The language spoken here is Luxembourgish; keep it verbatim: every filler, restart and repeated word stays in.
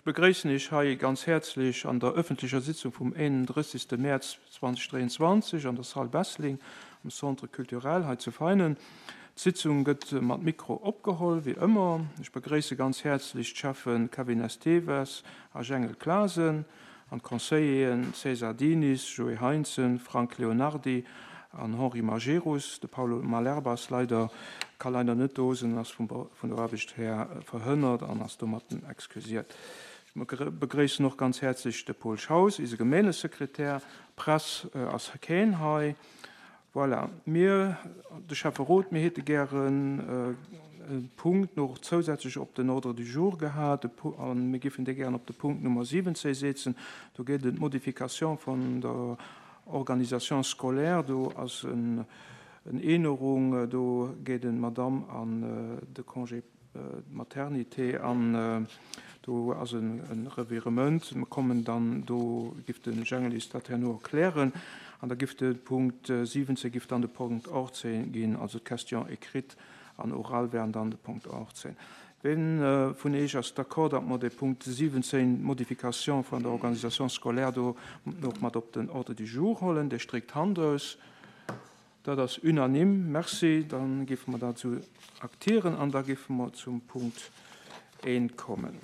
begréissen Iech hei ganz häerzlech an der ëffentlecher Sitzung vum eenandrëssegste Mäerz zweedausenddräianzwanzeg an der Salle Bessling am Centre culturel hei zu Veinen. D'Sitzung gëtt mat Mikro opgeholl, wéi ëmmer. Ech begréisse ganz häerzlech d'Schäffe Kevin Esteves a Jengel Clasen an d'Conseilleren César Diniz, Joé Heintzen, Frank Leonardy an Henri Majerus. De Paulo Malerba ass leider, ka leider net do sinn, ass vum, vun der Aarbecht her verhënnert an ass domatten excusiert. Ech begréissen och ganz häerzlech de Paul Schaus, eise Gemeengesekretär. Press ass keen hei. Voilà. Mir, de Schäfferot, mir hätte gären e Punkt nach zousätzlech op den Ordre du jour gehat, an mir géifen dee gären op de Punkt Nummer siwwenzéng setzen. Do geet et ëm d'Modification vun der Organisation scolaire, do ass en Ännerung, do geet eng Madame an de Congé maternité an do ass en Revirement. Mir kommen dann, do giff de Jengel eis dat herno erklären, an da giff de Punkt siwwenzéng giff dann de Punkt achtzéng ginn, also d'Question écrite an oral wären dann de Punkt achtzéng. Ween vun Iech ass d'accord, datt mer de Punkt siwwenzéng, d'Modification vun der Organisation scolaire, do och mat op den Ordre du jour huelen? Dee streckt d'Hand aus. Dat ass unanime. Merci. Da géife mer dat esou aktieren an da géife mer zum Punkt eent kommen.